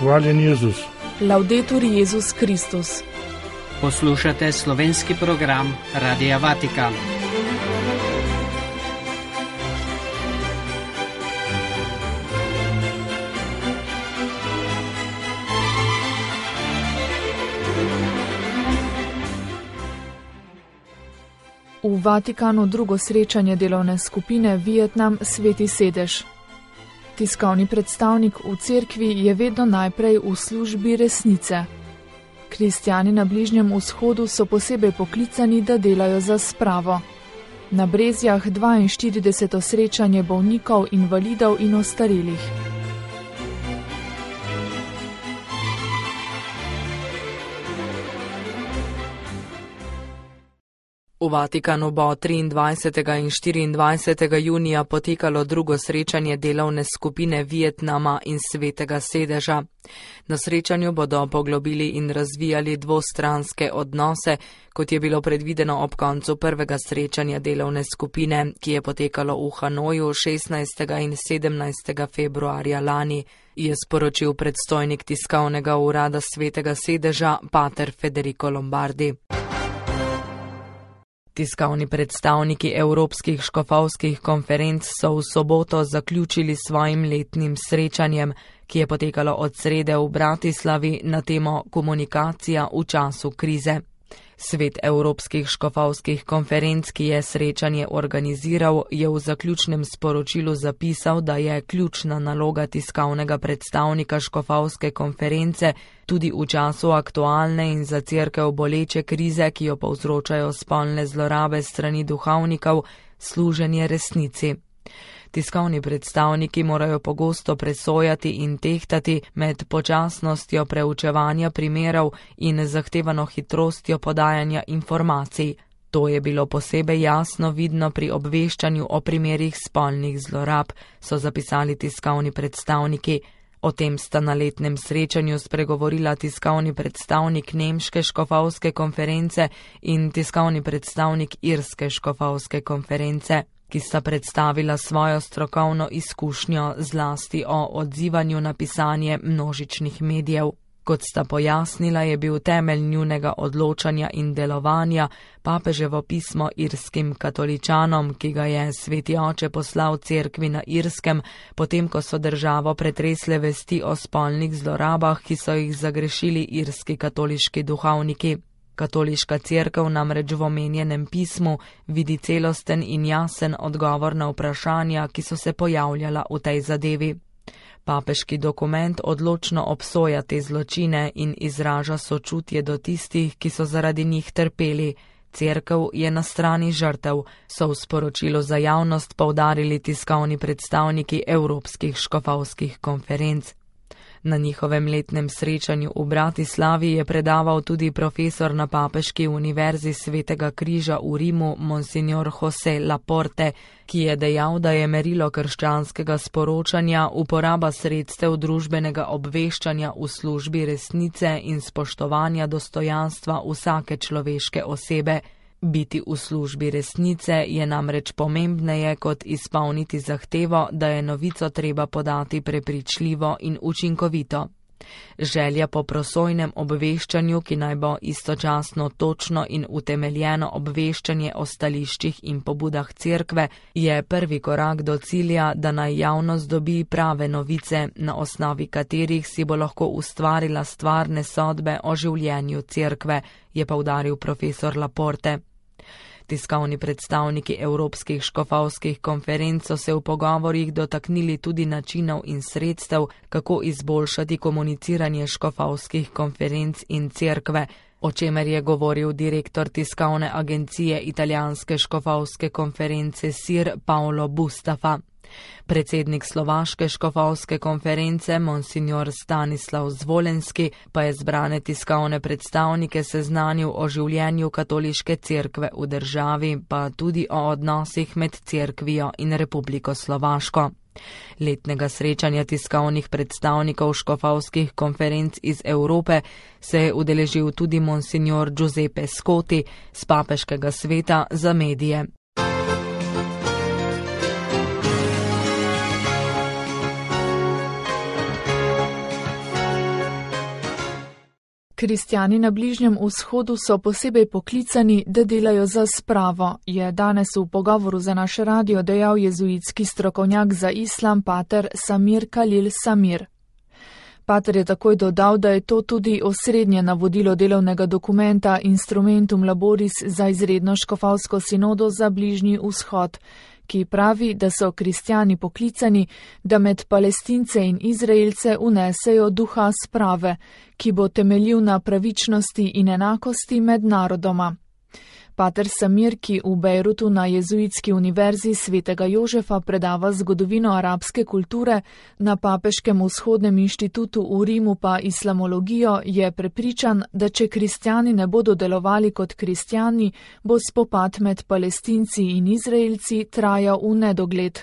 Hvaljen Jezus. Laudetur Jezus Kristus. Poslušate slovenski program Radia Vatikan. V Vatikanu drugo srečanje delovne skupine Vietnam Sveti sedež. Tiskovni predstavnik v cerkvi je vedno najprej v službi resnice. Kristjani na Bližnjem vzhodu so posebej poklicani, da delajo za spravo. Na Brezjah 42. srečanje bolnikov, invalidov in ostarelih. V Vatikanu bo 23. in 24. junija potekalo drugo srečanje delovne skupine Vietnama in Svetega sedeža. Na srečanju bodo poglobili in razvijali dvostranske odnose, kot je bilo predvideno ob koncu prvega srečanja delovne skupine, ki je potekalo v Hanoju 16. in 17. februarja lani, je sporočil predstojnik tiskovnega urada Svetega sedeža pater Federico Lombardi. Tiskovni predstavniki evropskih škofovskih konferenc so v soboto zaključili svojim letnim srečanjem, ki je potekalo od srede v Bratislavi na temo komunikacija v času krize. Svet evropskih škofovskih konferenc, ki je srečanje organiziral, je v zaključnem sporočilu zapisal, da je ključna naloga tiskovnega predstavnika škofovske konference tudi v času aktualne in za cerkev boleče krize, ki jo povzročajo spolne zlorabe strani duhovnikov, služenje resnici. Tiskovni predstavniki morajo pogosto presojati in tehtati med počasnostjo preučevanja primerov in zahtevano hitrostjo podajanja informacij. To je bilo posebej jasno vidno pri obveščanju o primerih spolnih zlorab, so zapisali tiskovni predstavniki. O tem sta na letnem srečanju spregovorila tiskovni predstavnik Nemške škofovske konference in tiskovni predstavnik Irske škofovske konference, ki sta predstavila svojo strokovno izkušnjo zlasti o odzivanju na pisanje množičnih medijev. Kot sta pojasnila, je bil temelj njunega odločanja in delovanja papeževo pismo irskim katoličanom, ki ga je Sveti oče poslal cerkvi na Irskem, potem ko so državo pretresle vesti o spolnih zlorabah, ki so jih zagrešili irski katoliški duhovniki. Katoliška cerkev namreč v omenjenem pismu vidi celosten in jasen odgovor na vprašanja, ki so se pojavljala v tej zadevi. Papeški dokument odločno obsoja te zločine in izraža sočutje do tistih, ki so zaradi njih trpeli. Cerkev je na strani žrtev, so v sporočilu za javnost poudarili tiskovni predstavniki evropskih škofovskih konferenc. Na njihovem letnem srečanju v Bratislavi je predaval tudi profesor na Papeški univerzi Svetega križa v Rimu, monsignor José Laporte, ki je dejal, da je merilo krščanskega sporočanja uporaba sredstev družbenega obveščanja v službi resnice in spoštovanja dostojanstva vsake človeške osebe. Biti v službi resnice je namreč pomembneje kot izpolniti zahtevo, da je novico treba podati prepričljivo in učinkovito. Želja po prosojnem obveščanju, ki naj bo istočasno točno in utemeljeno obveščanje o stališčih in pobudah cerkve, je prvi korak do cilja, da naj javnost dobi prave novice, na osnovi katerih si bo lahko ustvarila stvarne sodbe o življenju cerkve, je poudaril profesor Laporte. Tiskovni predstavniki evropskih škofovskih konferenc so se v pogovorjih dotaknili tudi načinov in sredstev, kako izboljšati komuniciranje škofovskih konferenc in cerkve, o čemer je govoril direktor tiskovne agencije italijanske škofovske konference SIR Paolo Bustafa. Predsednik Slovaške škofovske konference, monsignor Stanislav Zvolenski, pa je zbrane tiskovne predstavnike seznanil o življenju katoliške cerkve v državi, pa tudi o odnosih med cerkvijo in Republiko Slovaško. Letnega srečanja tiskovnih predstavnikov škofovskih konferenc iz Evrope se je udeležil tudi monsignor Giuseppe Scotti z Papeškega sveta za medije. Kristjani na Bližnjem vzhodu so posebej poklicani, da delajo za spravo, je danes v pogovoru za naš radio dejal jezuitski strokovnjak za islam pater Samir Khalil Samir. Pater je takoj dodal, da je to tudi osrednje navodilo delovnega dokumenta Instrumentum Laboris za izredno škofovsko sinodo za Bližnji vzhod, ki pravi, da so kristjani poklicani, da med Palestince in Izraelce unesejo duha sprave, ki bo temeljil na pravičnosti in enakosti med narodoma. Pater Samir, ki v Bejrutu na Jezuitski univerzi Svetega Jožefa predava zgodovino arabske kulture, na Papeškem vzhodnem inštitutu v Rimu pa islamologijo, je prepričan, da če kristjani ne bodo delovali kot kristjani, bo spopad med Palestinci in Izraelci trajal v nedogled.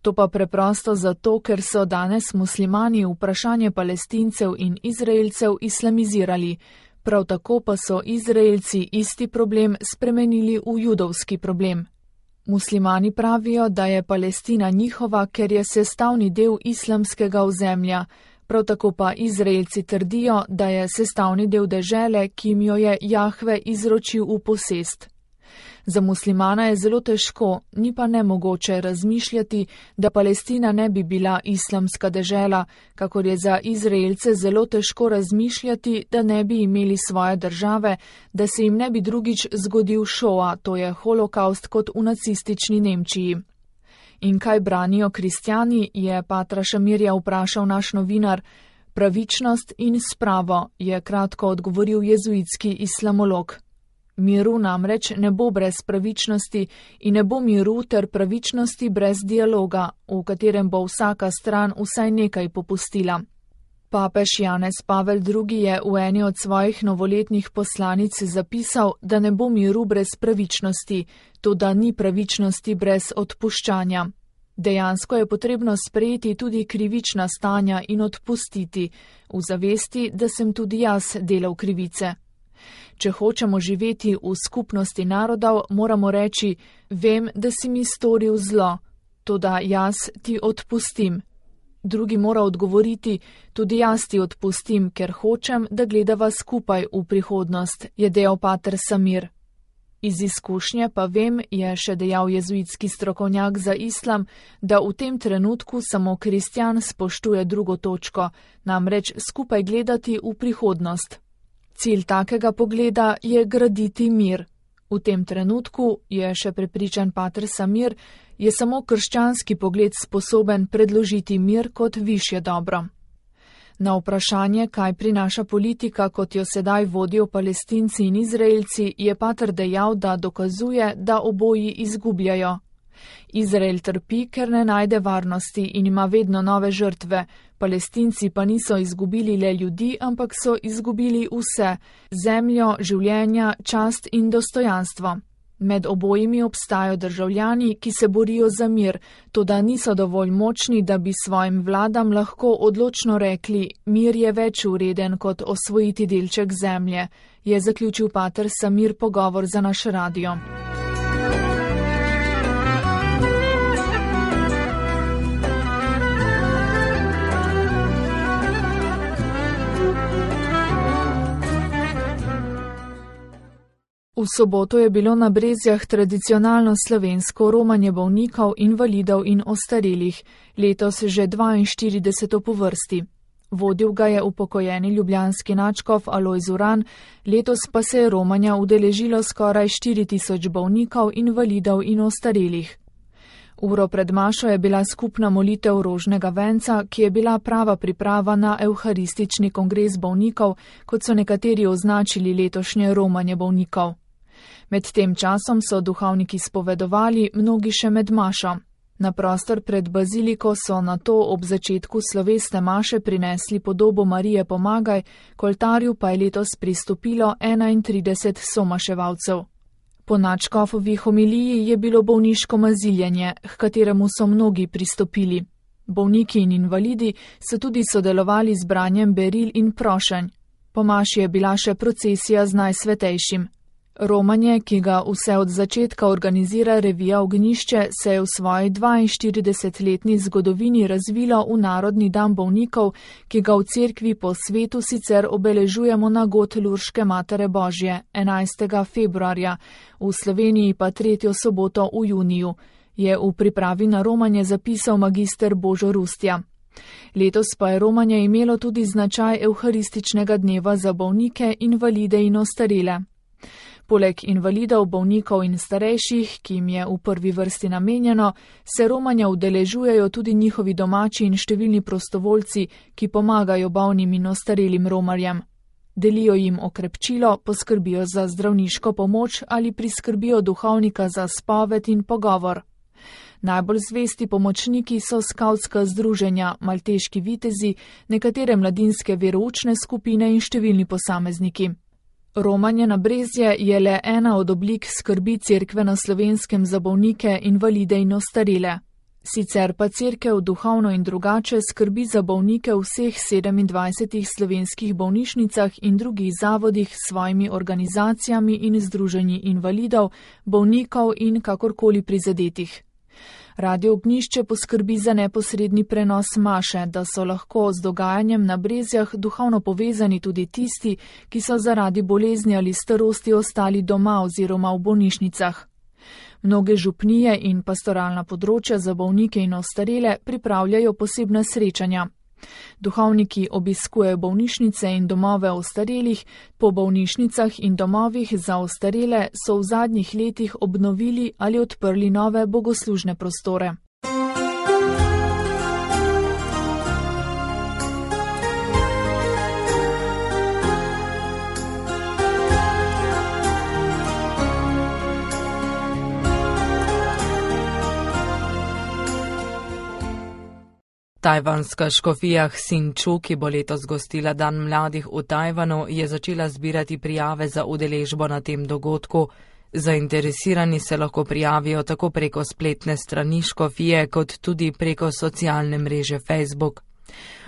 To pa preprosto zato, ker so danes muslimani vprašanje Palestincev in Izraelcev islamizirali. Prav tako pa so Izraelci isti problem spremenili v judovski problem. Muslimani pravijo, da je Palestina njihova, ker je sestavni del islamskega ozemlja, prav tako pa Izraelci trdijo, da je sestavni del dežele, ki jim jo je Jahve izročil v posest. Za muslimana je zelo težko, ni pa nemogoče razmišljati, da Palestina ne bi bila islamska dežela, kakor je za Izraelce zelo težko razmišljati, da ne bi imeli svoje države, da se jim ne bi drugič zgodil šoa, to je holokaust kot v nacistični Nemčiji. In kaj branijo kristjani, je patra Šamirja vprašal naš novinar. Pravičnost in spravo, je kratko odgovoril jezuitski islamolog. Miru namreč ne bo brez pravičnosti in ne bo miru ter pravičnosti brez dialoga, v katerem bo vsaka stran vsaj nekaj popustila. Papež Janez Pavel II. Je v eni od svojih novoletnih poslanic zapisal, da ne bo miru brez pravičnosti, toda ni pravičnosti brez odpuščanja. Dejansko je potrebno sprejeti tudi krivična stanja in odpustiti, v zavesti, da sem tudi jaz delal krivice. Če hočemo živeti v skupnosti narodov, moramo reči, vem, da si mi storil zlo, toda jaz ti odpustim. Drugi mora odgovoriti, tudi jaz ti odpustim, ker hočem, da gledava skupaj v prihodnost, je dejal pater Samir. Iz izkušnje pa vem, je še dejal jezuitski strokovnjak za islam, da v tem trenutku samo kristjan spoštuje drugo točko, namreč skupaj gledati v prihodnost. Cilj takega pogleda je graditi mir. V tem trenutku, je še prepričan pater Samir, je samo krščanski pogled sposoben predložiti mir kot višje dobro. Na vprašanje, kaj prinaša politika, kot jo sedaj vodijo Palestinci in Izraelci, je pater dejal, da dokazuje, da oboji izgubljajo. Izrael trpi, ker ne najde varnosti in ima vedno nove žrtve. Palestinci pa niso izgubili le ljudi, ampak so izgubili vse, zemljo, življenja, čast in dostojanstvo. Med obojimi obstajajo državljani, ki se borijo za mir, toda niso dovolj močni, da bi svojim vladam lahko odločno rekli, mir je več vreden kot osvojiti delček zemlje, je zaključil pater Samir pogovor za naš radio. V soboto je bilo na Brezjah tradicionalno slovensko romanje bolnikov, invalidov in ostarelih, letos že 42. po vrsti. Vodil ga je upokojeni ljubljanski nadškof Alojz Uran, letos pa se je romanja udeležilo skoraj 4000 bolnikov, invalidov in ostarelih. Uro pred mašo je bila skupna molitev rožnega venca, ki je bila prava priprava na evharistični kongres bolnikov, kot so nekateri označili letošnje romanje bolnikov. Med tem časom so duhovniki spovedovali, mnogi še med mašo. Na prostor pred baziliko so nato ob začetku slovesne maše prinesli podobo Marije Pomagaj, k oltarju pa je letos pristopilo 31 somaševalcev. Po nadškofovi homiliji je bilo bolniško maziljenje, h kateremu so mnogi pristopili. Bolniki in invalidi so tudi sodelovali z branjem beril in prošenj. Po maši je bila še procesija z Najsvetejšim. Romanje, ki ga vse od začetka organizira revija Ognjišče, se je v svoji 42-letni zgodovini razvilo v Narodni dan bolnikov, ki ga v cerkvi po svetu sicer obeležujemo na god Lurške Matere Božje 11. februarja, v Sloveniji pa 3. soboto v juniju, je v pripravi na romanje zapisal magister Božo Rustja. Letos pa je romanje imelo tudi značaj evharističnega dneva za bolnike, invalide in ostarele. Poleg invalidov, bolnikov in starejših, ki jim je v prvi vrsti namenjeno, se romanja udeležujejo tudi njihovi domači in številni prostovoljci, ki pomagajo bolnim in ostarelim romarjem. Delijo jim okrepčilo, poskrbijo za zdravniško pomoč ali priskrbijo duhovnika za spoved in pogovor. Najbolj zvesti pomočniki so skavtska združenja, malteški vitezi, nekatere mladinske veroučne skupine in številni posamezniki. Romanje na Brezje je le ena od oblik skrbi cerkve na Slovenskem za bolnike, invalide in ostarele. Sicer pa cerkev duhovno in drugače skrbi za bolnike v vseh 27 slovenskih bolnišnicah in drugih zavodih s svojimi organizacijami in združenji invalidov, bolnikov in kakorkoli prizadetih. Radio Ognjišče poskrbi za neposredni prenos maše, da so lahko z dogajanjem na Brezjah duhovno povezani tudi tisti, ki so zaradi bolezni ali starosti ostali doma oziroma v bolnišnicah. Mnoge župnije in pastoralna področja za bolnike in ostarele pripravljajo posebna srečanja. Duhovniki obiskujejo bolnišnice in domove ostarelih, po bolnišnicah in domovih za ostarele so v zadnjih letih obnovili ali odprli nove bogoslužne prostore. Tajvanska škofija Hsinchu, ki bo letos gostila Dan mladih v Tajvanu, je začela zbirati prijave za udeležbo na tem dogodku. Zainteresirani se lahko prijavijo tako preko spletne strani škofije, kot tudi preko socialne mreže Facebook.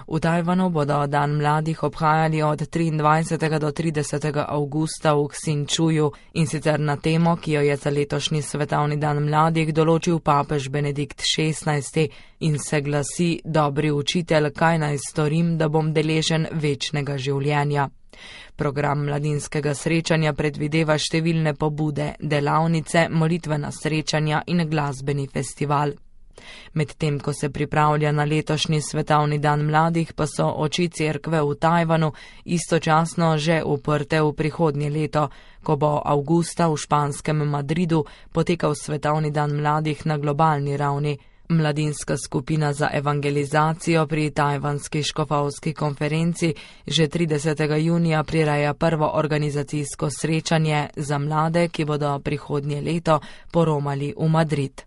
V Tajvanu bodo Dan mladih obhajali od 23. do 30. avgusta v Hsinchuju in sicer na temo, ki jo je za letošnji svetovni dan mladih določil papež Benedikt XVI in se glasi: Dobri učitelj, kaj naj storim, da bom deležen večnega življenja. Program mladinskega srečanja predvideva številne pobude, delavnice, molitvena srečanja in glasbeni festival. Medtem ko se pripravlja na letošnji svetovni dan mladih, pa so oči cerkve v Tajvanu istočasno že uprte v prihodnje leto, ko bo avgusta v španskem Madridu potekal svetovni dan mladih na globalni ravni. Mladinska skupina za evangelizacijo pri Tajvanski škofovski konferenci že 30. junija prireja prvo organizacijsko srečanje za mlade, ki bodo prihodnje leto poromali v Madrid.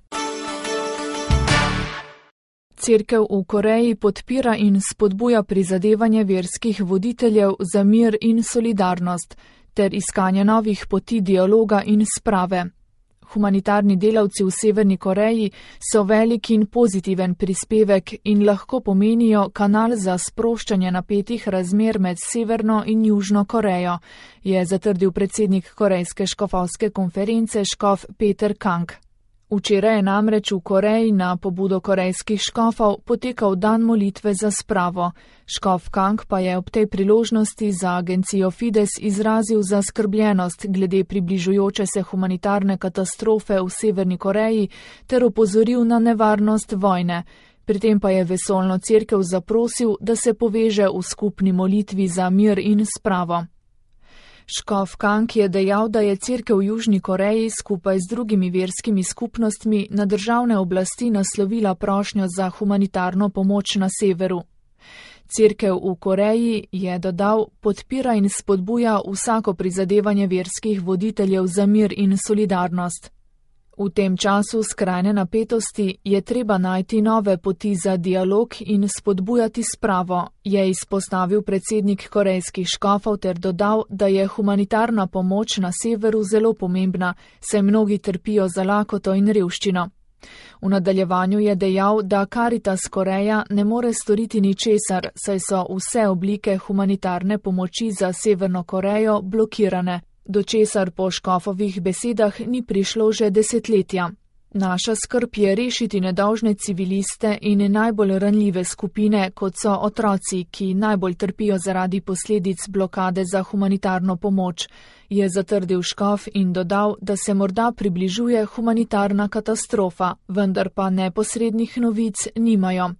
Cerkev v Koreji podpira in spodbuja prizadevanje verskih voditeljev za mir in solidarnost ter iskanje novih poti dialoga in sprave. Humanitarni delavci v Severni Koreji so velik in pozitiven prispevek in lahko pomenijo kanal za sproščanje napetih razmer med Severno in Južno Korejo, je zatrdil predsednik Korejske škofovske konference škof Peter Kang. Včeraj je namreč v Koreji na pobudo korejskih škofov potekal dan molitve za spravo. Škof Kang pa je ob tej priložnosti za agencijo Fides izrazil zaskrbljenost glede približujoče se humanitarne katastrofe v Severni Koreji ter opozoril na nevarnost vojne. Pri tem pa je vesoljno cerkev zaprosil, da se poveže v skupni molitvi za mir in spravo. Škof Kang je dejal, da je cerkev v Južni Koreji skupaj z drugimi verskimi skupnostmi na državne oblasti naslovila prošnjo za humanitarno pomoč na severu. Cerkev v Koreji, je dodal, podpira in spodbuja vsako prizadevanje verskih voditeljev za mir in solidarnost. V tem času skrajne napetosti je treba najti nove poti za dialog in spodbujati spravo, je izpostavil predsednik korejskih škofov ter dodal, da je humanitarna pomoč na severu zelo pomembna, saj mnogi trpijo za lakoto in revščino. V nadaljevanju je dejal, da Caritas Koreja ne more storiti ničesar, saj so vse oblike humanitarne pomoči za Severno Korejo blokirane. do česar po škofovih besedah ni prišlo že desetletja. Naša skrb je rešiti nedolžne civiliste in najbolj ranljive skupine, kot so otroci, ki najbolj trpijo zaradi posledic blokade za humanitarno pomoč, je zatrdil škof in dodal, da se morda približuje humanitarna katastrofa, vendar pa neposrednih novic nimajo.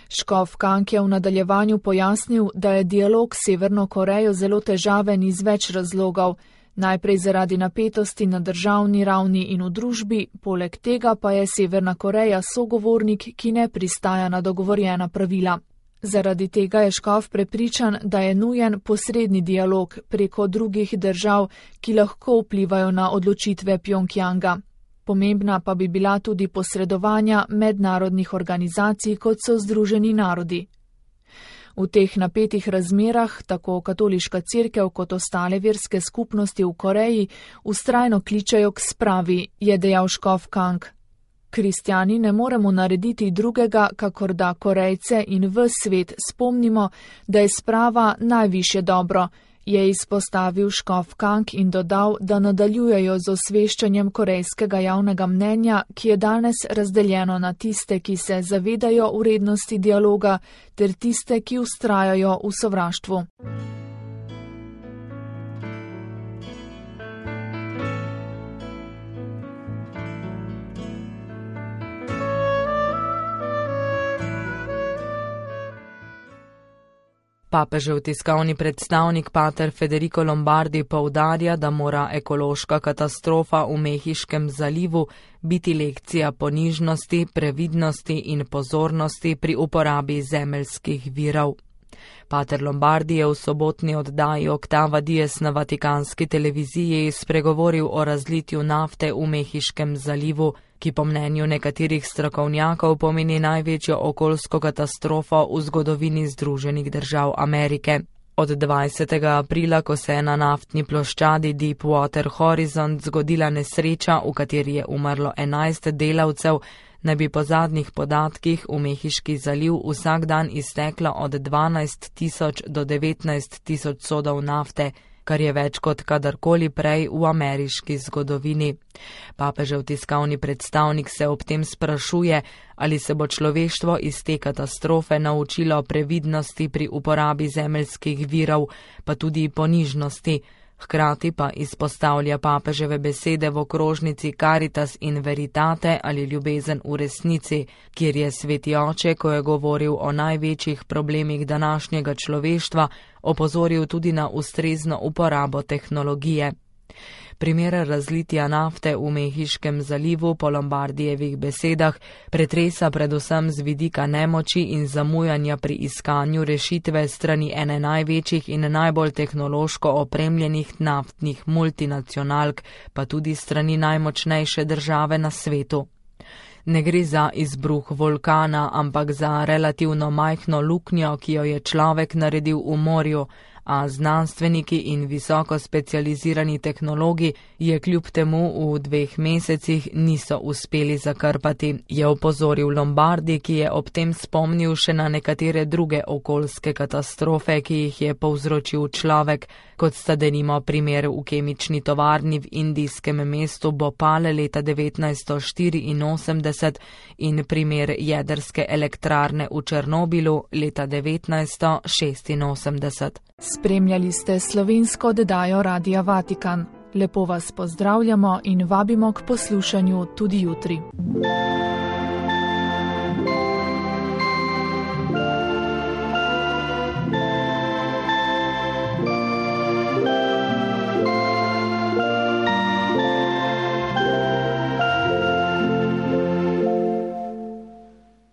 Škof Kang je v nadaljevanju pojasnil, da je dialog s Severno Korejo zelo težaven iz več razlogov. Najprej zaradi napetosti na državni ravni in v družbi, poleg tega pa je Severna Koreja sogovornik, ki ne pristaja na dogovorjena pravila. Zaradi tega je škof prepričan, da je nujen posredni dialog preko drugih držav, ki lahko vplivajo na odločitve Pjongjanga. Pomembna pa bi bila tudi posredovanja mednarodnih organizacij, kot so Združeni narodi. V teh napetih razmerah tako katoliška cerkev kot ostale verske skupnosti v Koreji vztrajno kličejo k spravi, je dejal škof Kang. Kristjani ne moremo narediti drugega, kakor da Korejce in ves svet spomnimo, da je sprava najvišje dobro, je izpostavil škof Kang in dodal, da nadaljujejo z osveščanjem korejskega javnega mnenja, ki je danes razdeljeno na tiste, ki se zavedajo vrednosti dialoga, ter tiste, ki vztrajajo v sovraštvu. Papežev tiskovni predstavnik pater Federico Lombardi poudarja, da mora ekološka katastrofa v Mehiškem zalivu biti lekcija ponižnosti, previdnosti in pozornosti pri uporabi zemeljskih virov. Pater Lombardi je v sobotni oddaji Oktava Dies na vatikanski televiziji spregovoril o razlitju nafte v Mehiškem zalivu, ki po mnenju nekaterih strokovnjakov pomeni največjo okoljsko katastrofo v zgodovini Združenih držav Amerike. Od 20. aprila, ko se je na naftni ploščadi Deepwater Horizon zgodila nesreča, v kateri je umrlo 11 delavcev, naj bi po zadnjih podatkih v Mehiški zaliv vsak dan izteklo od 12.000 do 19.000 sodov nafte, kar je več kot kadarkoli prej v ameriški zgodovini. Papežev tiskovni predstavnik se ob tem sprašuje, ali se bo človeštvo iz te katastrofe naučilo previdnosti pri uporabi zemeljskih virov, pa tudi ponižnosti. Hkrati pa izpostavlja papeževe besede v okrožnici Caritas in Veritate ali ljubezen v resnici, kjer je sveti oče, ko je govoril o največjih problemih današnjega človeštva, opozoril tudi na ustrezno uporabo tehnologije. Primer razlitja nafte v Mehiškem zalivu po Lombardijevih besedah pretresa predvsem z vidika nemoči in zamujanja pri iskanju rešitve strani ene največjih in najbolj tehnološko opremljenih naftnih multinacionalk, pa tudi strani najmočnejše države na svetu. Ne gre za izbruh vulkana, ampak za relativno majhno luknjo, ki jo je človek naredil v morju, a znanstveniki in visoko specializirani tehnologi je kljub temu v 2 mesecih niso uspeli zakrpati, je opozoril Lombardi, ki je ob tem spomnil še na nekatere druge okoljske katastrofe, ki jih je povzročil človek, kot sta denimo primer v kemični tovarni v indijskem mestu Bhopal leta 1984 in primer jedrske elektrarne v Černobilu leta 1986. Spremljali ste slovensko oddajo Radia Vatikan. Lepo vas pozdravljamo in vabimo k poslušanju tudi jutri.